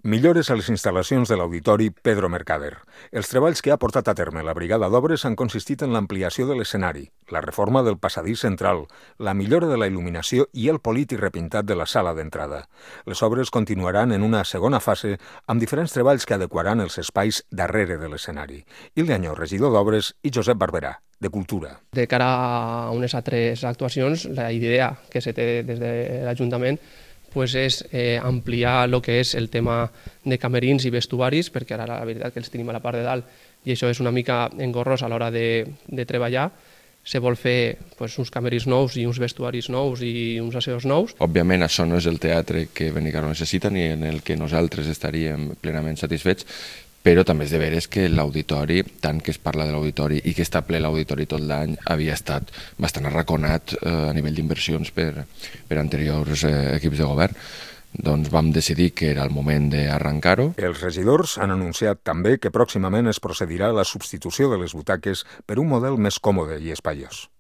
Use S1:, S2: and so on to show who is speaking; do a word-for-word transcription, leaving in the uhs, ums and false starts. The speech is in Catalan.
S1: Millores a les instal·lacions de l'Auditori Pedro Mercader. Els treballs que ha portat a terme la Brigada d'Obres han consistit en l'ampliació de l'escenari, la reforma del passadís central, la millora de la il·luminació i el polit i repintat de la sala d'entrada. Les obres continuaran en una segona fase amb diferents treballs que adequaran els espais darrere de l'escenari. Ilde Añó, regidor d'Obres, i Josep Barberà, de Cultura.
S2: De cara a unes altres actuacions, la idea que se té des de l'Ajuntament pues és eh, ampliar el que és el tema de camerins i vestuaris, perquè ara la veritat que els tenim a la part de dalt i això és una mica engorrós a l'hora de, de treballar. Se vol fer pues, uns camerins nous i uns vestuaris nous i uns asseus nous.
S3: Òbviament això no és el teatre que Benicarló necessita ni en el que nosaltres estaríem plenament satisfets, però també és de veres que l'auditori, tant que es parla de l'auditori i que està ple l'auditori tot l'any, havia estat bastant arraconat eh, a nivell d'inversions per, per anteriors eh, equips de govern. Doncs vam decidir que era el moment d'arrencar-ho.
S1: Els regidors han anunciat també que pròximament es procedirà a la substitució de les butaques per un model més còmode i espaiós.